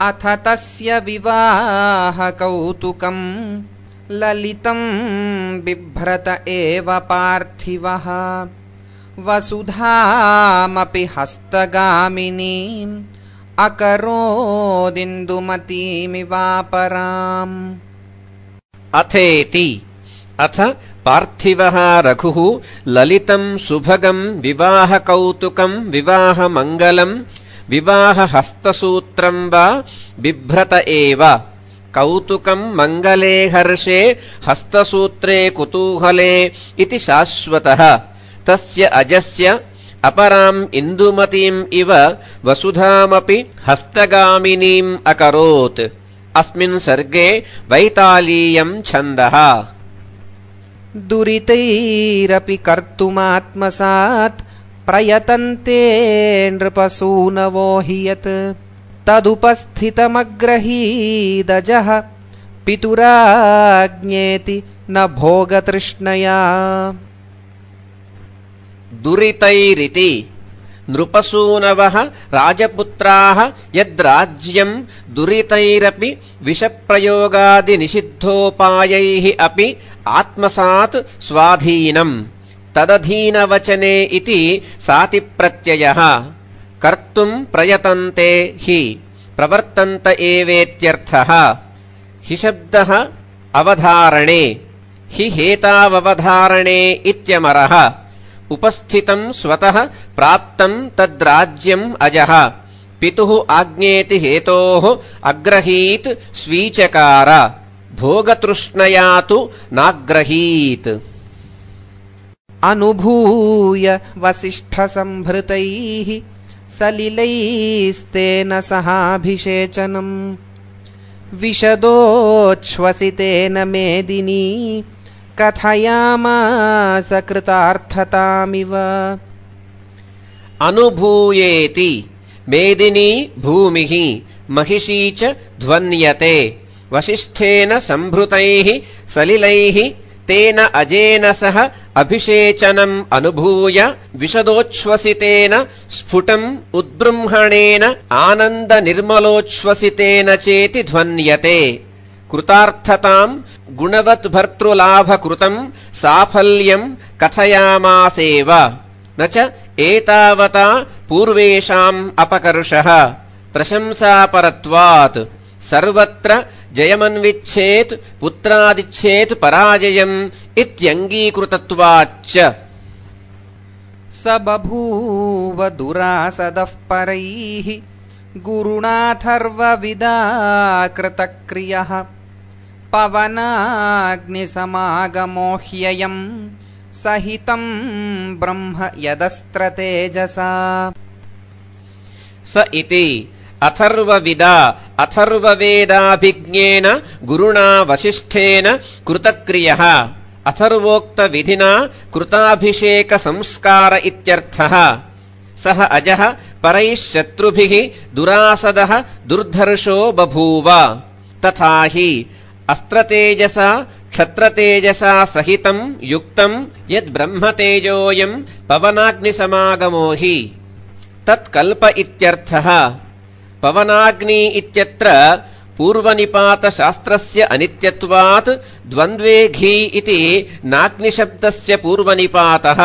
अथ तस्य विवाहकौतुकम् ललितं बिभ्रत एव पार्थिवः वसुधामपि हस्तगामिनीम् अकरोदिन्दुमतीमिवापराम्। अथेति अथ पार्थिवः रघुः ललितं सुभगं विवाहकौतुकं विवाहमङ्गलं विवाहहस्तसूत्रं वा बिभ्रत एव। कौतुकं मङ्गले हर्षे हस्तसूत्रे कुतूहले इति शाश्वतः। तस्य अजस्य अपराम् इन्दुमतीम् इव वसुधामपि हस्तगामिनीम् अकरोत्। अस्मिन् सर्गे वैतालीयम् छन्दः। दुरितैरपि कर्तुमात्मसात् प्रयतन्ते नृपसूनवो हि यत् तदुपस्थितमग्रहीदजः पितुराज्ञेति न भोगतृष्णया। दुरितैरिति नृपसूनवः राजपुत्राः यद्राज्यम् दुरितैरपि विषप्रयोगादिनिषिद्धोपायैः अपि आत्मसात् स्वाधीनम् तदधीनवचने इति सातिप्रत्ययः। कर्तुम् प्रयतन्ते हि प्रवर्तन्त एवेत्यर्थः। हि शब्दः अवधारणे हि हेताववधारणे इत्यमरः। उपस्थितं स्वतः प्राप्तं तद्राज्यम् अजः पितुः आज्ञेति हेतोः अग्रहीत् स्वीचकार भोगतृष्णया तु नाग्रहीत्। अनुभूय वसिष्ठसंभृतैः सलिलैस्तेन सहाभिषेचनम् विशदोच्छ्वसितेन मेदिनी कथयामास कृतार्थतामिव। अनुभूयेति मेदिनी भूमिः महिषी च ध्वन्यते वसिष्ठेन संभृतैः सलिलैः तेन अजेन सह अभिषेचनम् अनुभूय विशदोच्छ्वसितेन स्फुटम् उद्बृंहणेन आनन्दनिर्मलोच्छ्वसितेन चेति ध्वन्यते। कृतार्थताम् गुणवद्भर्तृलाभकृतम् साफल्यम् कथयामासेव न च एतावता पूर्वेषाम् अपकर्षः प्रशंसापरत्वात्। सर्वत्र जयमन्विच्छेत् पुत्रादिच्छेत् पराजयम् इत्यङ्गीकृतत्वाच्च। स बभूव दुरासदः परैः गुरुणाथर्वविदा कृतक्रियः पवनाग्निसमागमो ह्ययम् सहितं ब्रह्म यदस्त्रतेजसा। स इति अथर्वविदा अथर्ववेदाभिज्ञेन गुरुणा वसिष्ठेन कृतक्रियः अथर्वोक्तविधिना कृताभिषेकसंस्कार इत्यर्थः। सः अजः परैः शत्रुभिः दुरासदः दुर्धर्षो बभूव। तथा हि अस्त्रतेजसा क्षत्रतेजसा सहितम् युक्तम् यद्ब्रह्मतेजोऽयम् पवनाग्निसमागमो हि तत्कल्प इत्यर्थः। पवनाग्नि इत्यत्र पूर्वनिपातशास्त्रस्य अनित्यत्वात् द्वन्द्वे घी इति नाग्निशब्दस्य पूर्वनिपातः।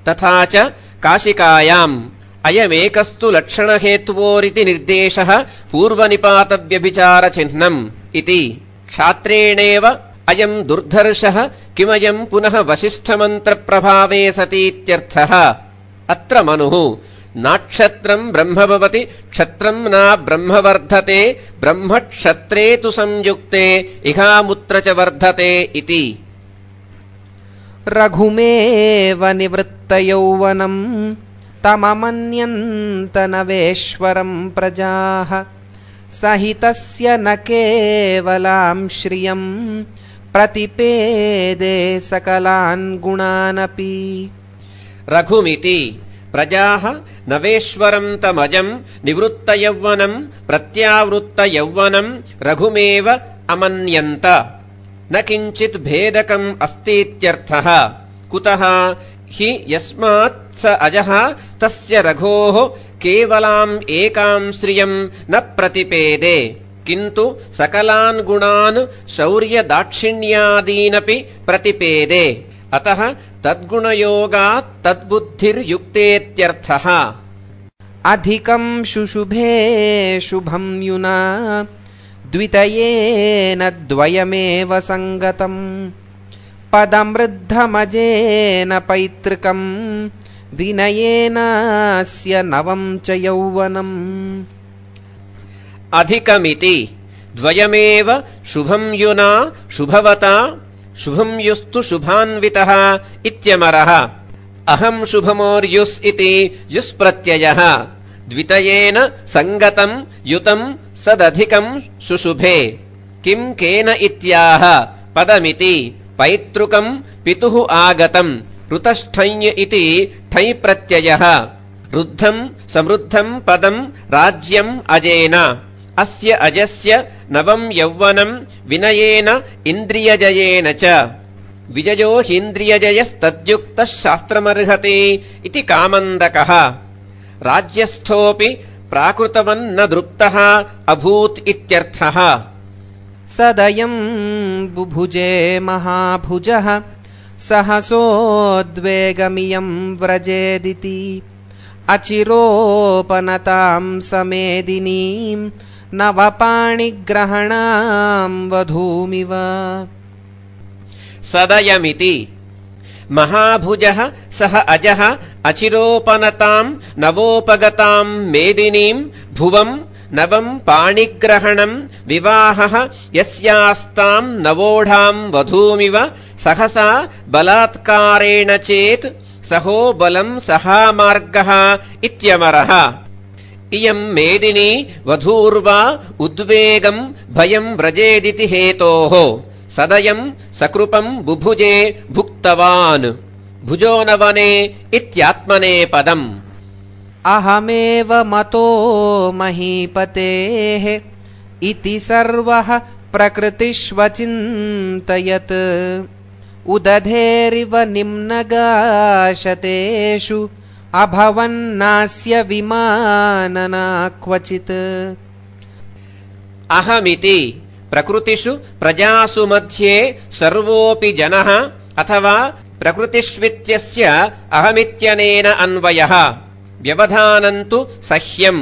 तथा च काशिकायाम् अयमेकस्तु लक्षणहेत्वोरिति निर्देशः पूर्वनिपातव्यभिचारचिह्नम् इति। क्षात्रेणेव अयम् दुर्धर्षः किमयम् पुनः वसिष्ठमन्त्रप्रभावे सतीत्यर्थः। अत्र मनुः नाक्षत्रम् ब्रह्म भवति क्षत्रम् न ब्रह्म वर्धते ब्रह्म क्षत्रे तु संयुक्ते इहामुत्र च वर्धते इति। रघुमेव निवृत्तयौवनम् तममन्यन्त नवेश्वरम् प्रजाः सहितस्य न केवलाम् श्रियम् प्रतिपेदे सकलान् गुणानपि। रघुमिति प्रजाः नवेश्वरम् तमजम् निवृत्तयौवनम् प्रत्यावृत्तयौवनम् रघुमेव अमन्यन्त। न किञ्चित् भेदकम् अस्तीत्यर्थः। कुतः हि यस्मात् स अजः तस्य रघोः केवलाम् एकाम् श्रियम् न प्रतिपेदे किन्तु सकलान् गुणान् शौर्यदाक्षिण्यादीनपि प्रतिपेदे अतः तद्गुणयोगात् तद्बुद्धिर्युक्तेत्यर्थः। अधिकम् शुशुभे शुभं युना द्वितयेन द्वयमेव सङ्गतम् पदमृद्धमजेन पैतृकम् विनयेनास्य नवम् च यौवनम्। अधिकमिति द्वयमेव शुभम् युना शुभवता शुभम् युस्तु शुभान्वितः इत्यमरः। अहम् शुभमोर्युस् इति युस्प्रत्ययः द्वितयेन सङ्गतम् युतम् सदधिकम् शुशुभे किम् केन इत्याह पदमिति पैतृकम् पितुः आगतम् ऋतष्ठञ् इति ठञ् प्रत्ययः रुद्धम् समृद्धम् पदम् राज्यम् अजेन अस्य अजस्य नवम् यौवनम् विनयेन इन्द्रियजयेन च विजयो हीन्द्रियजयस्तद्युक्तः शास्त्रमर्हति इति कामन्दकः। राज्यस्थोऽपि प्राकृतवन्न दृप्तः अभूत् इत्यर्थः। सदयम् बुभुजे महाभुजः सहसोद्वेगमियम् व्रजेदिति अचिरोपनताम् समेदिनीम् नवपाणिग्रहणाम् वधूमिव। सदयमिति महाभुजः सह अजः अचिरोपनताम् नवोपगताम् मेदिनीम् भुवम् नवम् पाणिग्रहणम् विवाहः यस्यास्ताम् नवोढाम् वधूमिव सहसा बलात्कारेण चेत् सहो बलम् सहामार्गः इत्यमरः। इयम् मेदिनी वधूर्वा उद्वेगम् भयम् व्रजेदिति हेतोः सदयम् सकृपम् बुभुजे भुक्तवान् भुजो नवने इत्यात्मने पदम्। अहमेव मतो महीपतेः इति सर्वः प्रकृतिष्वचिन्तयत् उदधेरिव निम्नगाशतेषु अभवन्नास्य विमानना क्वचित्। अहमिति प्रकृतिषु प्रजासु मध्ये सर्वोऽपि जनः अथवा प्रकृतिष्वित्यस्य अहमित्यनेन अन्वयः व्यवधानम् तु सह्यम्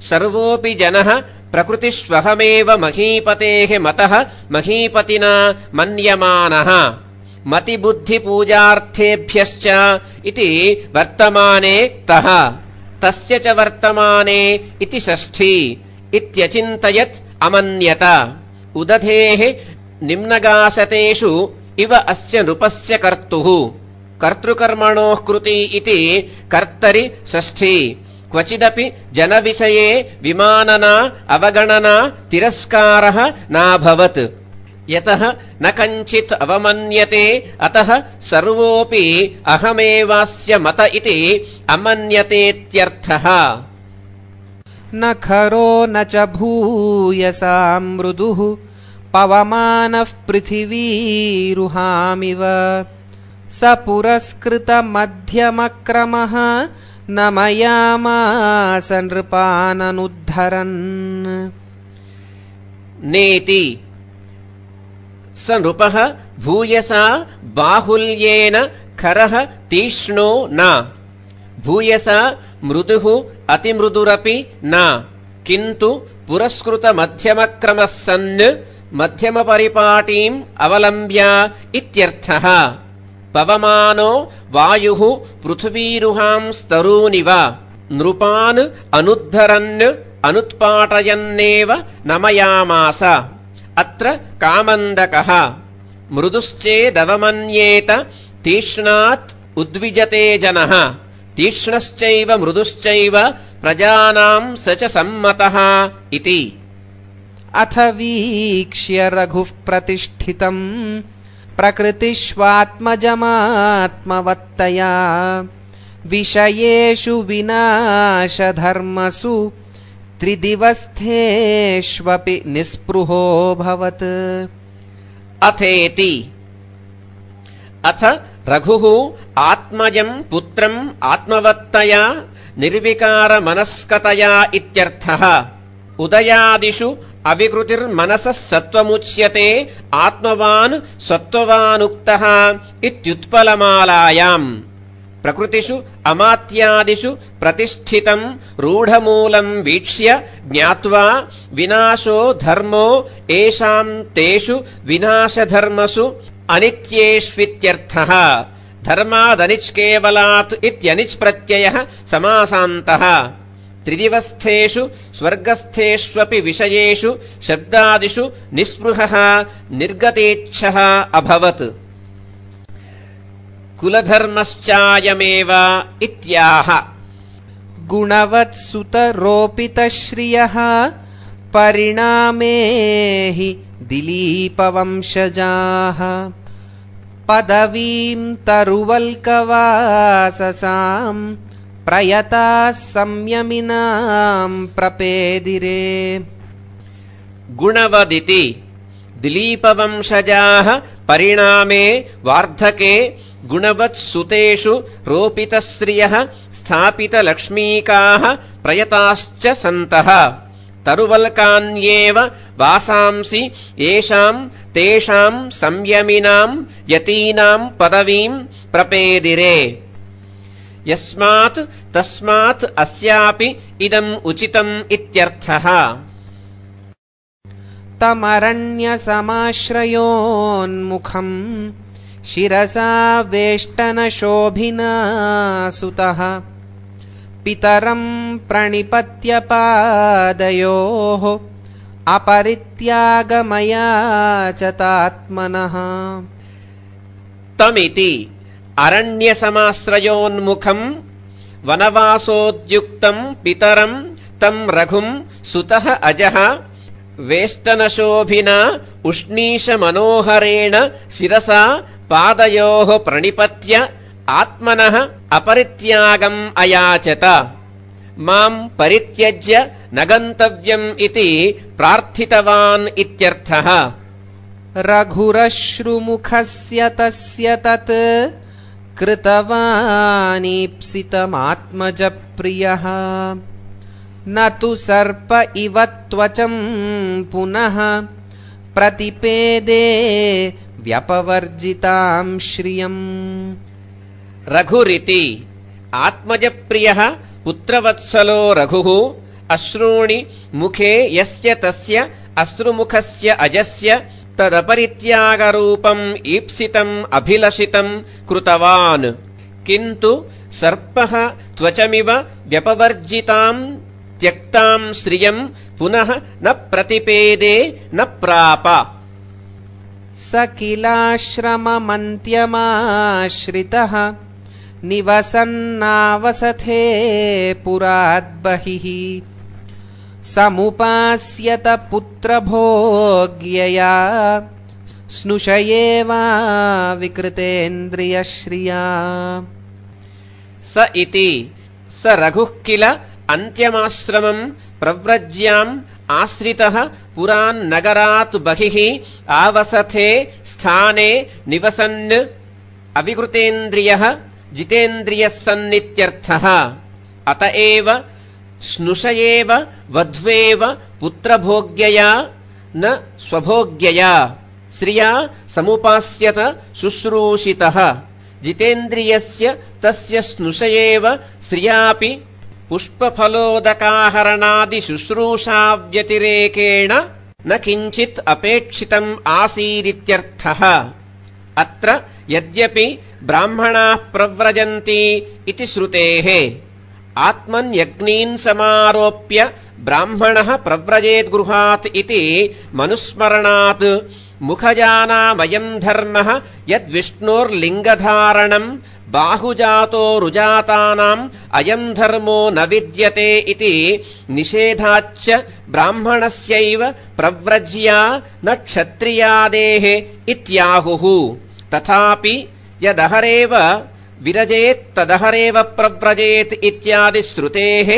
सर्वोऽपि जनः प्रकृतिष्वहमेव महीपतेः मतः महीपतिना मन्यमानः मतिबुद्धिपूजार्थेभ्यश्च इति वर्तमाने तः तस्य च वर्तमाने इति षष्ठी इत्यचिन्तयत् अमन्यत उदधेः निम्नगासतेषु इव अस्य नृपस्य कर्तुः कर्तृकर्मणोः कृति इति कर्तरि षष्ठी क्वचिदपि जनविषये विमानना अवगणना तिरस्कारः नाभवत् यतः न कञ्चित् अवमन्यते अतः सर्वोऽपि अहमेवास्य मत इति अमन्यतेत्यर्थः। न खरो न च भूयसा मृदुः पवमानः पृथिवीरुहामिव स पुरस्कृतमध्यमक्रमः न मयामास नृपाननुद्धरन्। नेति स नृपः भूयसा बाहुल्येन खरः तीक्ष्णो न भूयसा मृदुः अतिमृदुरपि न किन्तु पुरस्कृतमध्यमक्रमः सन् मध्यमपरिपाटीम् अवलम्ब्य इत्यर्थः। पवमानो वायुः पृथिवीरुहांस्तरूनिव नृपान् अनुद्धरन् अनुत्पाटयन्नेव नमयामास। अत्र कामन्दकः मृदुश्चेदवमन्येत तीक्ष्णात् उद्विजते जनः तीक्ष्णश्चैव मृदुश्चैव प्रजानाम् स च सम्मतः इति। अथ वीक्ष्य रघुः प्रतिष्ठितम् प्रकृतिष्वात्मजमात्मवत्तया विषयेषु विनाशधर्मसु त्रिदिवस्थेष्वपि निःस्पृहोऽभवत्। अथेति अथ रघुः आत्मजम् पुत्रम् आत्मवत्तया निर्विकारमनस्कतया इत्यर्थः। उदयादिषु अविकृतिर्मनसः सत्त्वमुच्यते आत्मवान् सत्त्ववानुक्तः इत्युत्पलमालायाम्। प्रकृतिषु अमात्यादिषु प्रतिष्ठितम् रूढमूलम् वीक्ष्य ज्ञात्वा विनाशो धर्मो येषाम् तेषु विनाशधर्मसु अनित्येष्वित्यर्थः। धर्मादनिच् केवलात् इत्यनिच् प्रत्ययः समासान्तः। त्रिदिवस्थेषु स्वर्गस्थेष्वपि विषयेषु शब्दादिषु निःस्पृहः निर्गतेच्छः अभवत्। कुलधर्मश्चायमेव इत्याह। गुणवत्सुतरोपितश्रियः परिणामे हि दिलीपवंशजाः पदवीं तरुवल्कवाससाम् प्रयताः संयमिनां प्रपेदिरे। गुणवदिति दिलीपवंशजाः परिणामे वार्धके गुणवत्सुतेषु रोपितश्रियः स्थापितलक्ष्मीकाः प्रयताश्च सन्तः। तरुवल्कान्येव वासांसि येषाम् तेषाम् संयमिनाम् यतीनाम् पदवीम् प्रपेदिरे। यस्मात् तस्मात् अस्यापि इदम् उचितम् इत्यर्थः। तमरण्यसमाश्रयोन्मुखम् शिरसा वेष्टनशोभिना सुतः पितरम् प्रणिपत्य पादयोः अपरित्यागमयाचतात्मनः। तमिति अरण्यसमाश्रयोन्मुखम् वनवासोद्युक्तम् पितरम् तम् रघुम् सुतः अजः वेष्टनशोभिना उष्णीशमनोहरेण शिरसा पादयोः प्रणिपत्य आत्मनः अपरित्यागम् अयाचत। माम् परित्यज्य न गन्तव्यम् इति प्रार्थितवान् इत्यर्थः। रघुरश्रुमुखस्य तस्य तत् कृतवानीप्सितमात्मजप्रियः न तु सर्प इव त्वचं पुनः प्रतिपेदे व्यपवर्जितां श्रियम्। रघुरिति आत्मजप्रियः पुत्रवत्सलो रघुः अश्रूणि मुखे यस्य तस्य अश्रुमुखस्य अजस्य तदपरित्यागरूपम् ईप्सितम् अभिलषितम् कृतवान्। किन्तु सर्पः त्वचमिव व्यपवर्जिताम् त्यक्ताम् श्रियम् पुनः न प्रतिपेदे न प्राप। स किलाश्रममन्त्यमाश्रितः निवसन्नावसथे पुराद्बहिः समुपास्यत पुत्रभोग्यया स्नुषयेवा विकृतेन्द्रियश्रिया। स इति स रघुः किल अन्त्यमाश्रमम् प्रव्रज्याम् आश्रितः पुरान्नगरात् बहिः आवसथे स्थाने निवसन् अविकृतेन्द्रियः जितेन्द्रियः सन्नित्यर्थः। अत एव स्नुषयेव वध्वेव पुत्रभोग्यया न स्वभोग्यया श्रिया समुपास्यत शुश्रूषितः। जितेन्द्रियस्य तस्य स्नुषयेव श्रियापि पुष्पफलोदकाहरणादिशुश्रूषाव्यतिरेकेण न किञ्चित् अपेक्षितम् आसीदित्यर्थः। अत्र यद्यपि ब्राह्मणाः प्रव्रजन्ति इति श्रुतेः आत्मन्यग्नीन् समारोप्य ब्राह्मणः प्रव्रजेद्गृहात् इति मनुस्मरणात् मुखजानामयम् धर्मः यद्विष्णोर्लिङ्गधारणम् बाहुजातो रुजातानाम् अयम् धर्मो न विद्यते इति निषेधाच्च ब्राह्मणस्यैव प्रव्रज्या न क्षत्रियादेः इत्याहुः। तथापि यदहरेव विरजेत् तदहरेव प्रव्रजेत् इत्यादि श्रुतेः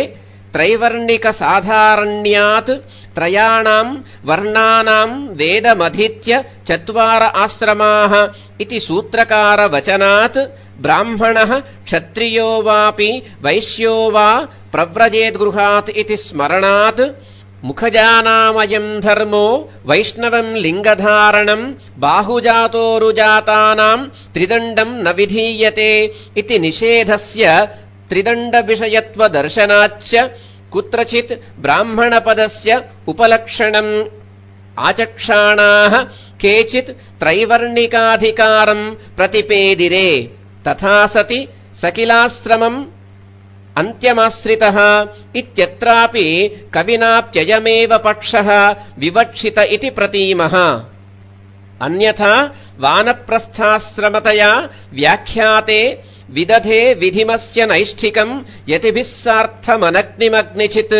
त्रैवर्णिकसाधारण्यात् त्रयाणाम् वर्णानाम् वेदमधीत्य 4 आश्रमाः इति सूत्रकारवचनात् ब्राह्मणः क्षत्रियो वापि वैश्यो वा प्रव्रजेद्गृहात् इति स्मरणात् मुखजानामयम् धर्मो वैष्णवम् लिङ्गधारणम् बाहुजातोरुजातानाम् त्रिदण्डम् न विधीयते इति निषेधस्य त्रिदण्डविषयत्वदर्शनाच्च कुत्रचित् ब्राह्मणपदस्य उपलक्षणम् आचक्षाणाः केचित् त्रैवर्णिकाधिकारम् प्रतिपेदिरे तथा सति सकिलाश्रमम् अन्त्यमाश्रितः इत्यत्रापि कविनाप्ययमेव पक्षः विवक्षित इति प्रतीमः। अन्यथा वानप्रस्थाश्रमतया व्याख्याते विदधे विधिमस्य नैष्ठिकम् यतिभिः सार्थमनग्निमग्निचित्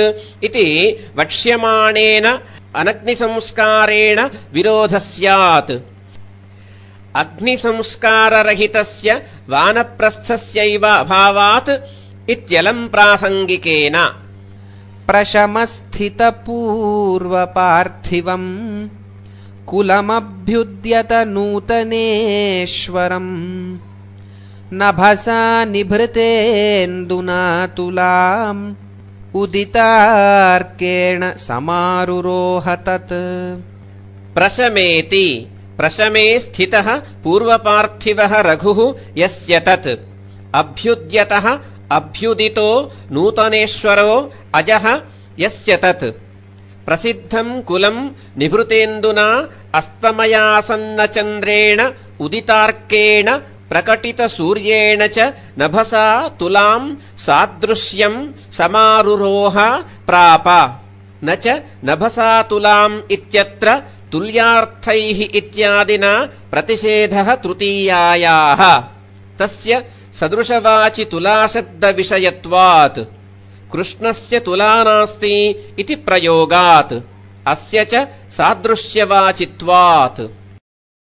इति वक्ष्यमाणेन अनग्निसंस्कारेण विरोधः स्यात्। अग्निसंस्काररहितस्य वानप्रस्थस्यैव अभावात् इत्यलम् प्रासङ्गिकेन। प्रशमस्थितपूर्वपार्थिवम् कुलमभ्युद्यत नूतनेश्वरम् नभसा निभृतेन्दुना तुलाम् उदितार्केण समारुरोह तत्। प्रशमेति प्रशमे स्थितः पूर्वपार्थिवः रघुः यस्य तत् अभ्युद्यतः अभ्युदितो नूतनेश्वरो अजः यस्य तत् प्रसिद्धम् कुलम् निभृतेन्दुना अस्तमयासन्नचन्द्रेण उदितार्केण प्रकटितसूर्येण च नभसा तुलाम् सादृश्यम् समारुरोह प्राप। न च नभसा तुलाम् इत्यत्र तुल्यार्थैः इत्यादिना प्रतिषेधः तृतीयायाः। तस्य सदृशवाचि तुलाशब्दविषयत्वात् कृष्णस्य तुला नास्ति इति प्रयोगात् अस्य च सादृश्यवाचित्वात्।